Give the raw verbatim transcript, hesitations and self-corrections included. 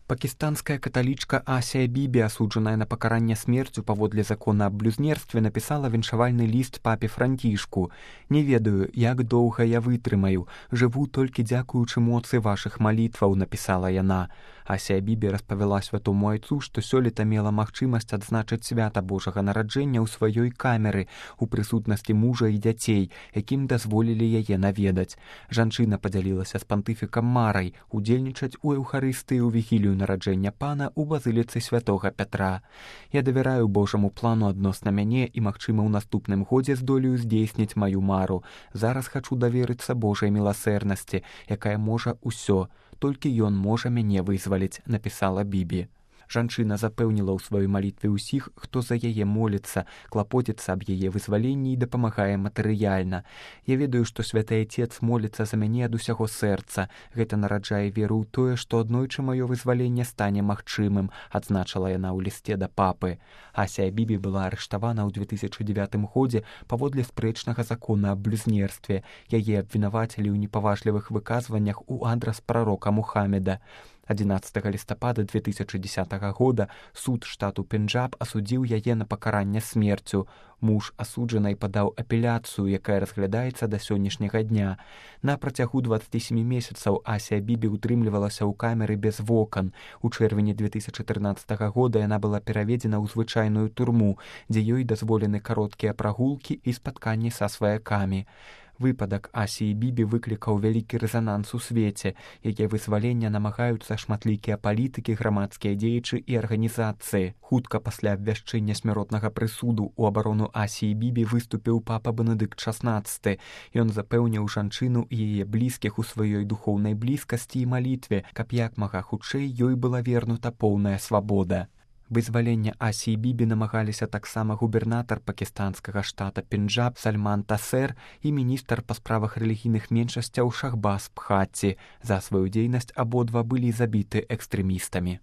Пакистанская каталічка Асія Бібі, асуджаная на пакаранне смерцю паводле закона аб блюзнерстве, напісала віншавальны ліст папе Францішку. «Не ведаю, як доўга я вытрымаю. Жыву толькі дзякуючы моцы вашых малітваў», напісала яна. Асія Бібі распавяла святому айцу, што сёлета мела магчымасць адзначыць свята Божага нараджэння ў сваёй камеры у прысутнасці мужа і дзяцей, якім дазволілі яе наведаць. Жанчына падзялілася з пантыфікам марай удзельнічаць у эўхарыстыі ў вігілію нараджэння пана ў базыліцы святога Пятра. «Я давяраю Божаму плану адносна мяне і, магчыма, у наступным годзе здолею здзейсніць маю мару. Зараз хачу даверыцца Божай міласэрнасці, якая можа ўсё. Толькі ён можа мяне вызваліць», напісала Бібі. Жанчына запэўніла ў сваёй малітве ўсіх, хто за яе моліцца, клапоціцца аб яе вызваленні і дапамагае матэрыяльна. «Я ведаю, што святы Айцец моліцца за мяне ад усяго сэрца. Гэта нараджае веру ў тое, што аднойчы маё вызваленне стане магчымым», адзначыла яна ў лісце да папы. Асія Бібі была арыштавана ў две тысячы дзевятым годзе паводле спрэчнага закона аб блюзнерстве. Яе абвінавацілі ў непаважлівых выказваннях у адрас прарока Мухаммеда. адзінаццатага лістапада две тысячы дзесятага года суд штату Пенджаб асудзіў яе на пакаранне смерцю. Муж асуджанай падаў апеляцыю, якая разглядаецца да сённяшняга дня. На працягу дваццаці сямі месяцаў Асія Бібі утрымлівалася ў камеры без вокон. У чэрвені две тысячы трынаццатага года яна была пераведзена ў звычайную турму, дзе ёй дазволены кароткія прагулкі і спатканні са сваякамі. Выпадак Асіі Бібі выклікаў вялікі рэзананс у свеце. Яе вызвалення намагаюцца шматлікія палітыкі, грамадскія дзеячы і арганізацыі. Хутка пасля абвяшчэння смяротнага прысуду у абарону Асіі Бібі выступіў папа Бенедыкт шаснаццаты. Ён запэўніў жанчыну і яе блізкіх у сваёй духоўнай блізкасці і малітве, каб як мага хутчэй ёй была вернута поўная свабода. Вызвалення Асіі Бібі намагаліся таксама губернатар пакістанскага штата Пенджаб Сальман Тасер і міністр па справах рэлігійных меншасцяў Шахбаз Бхатці. За сваю дзейнасць абодва былі забіты экстрэмістамі.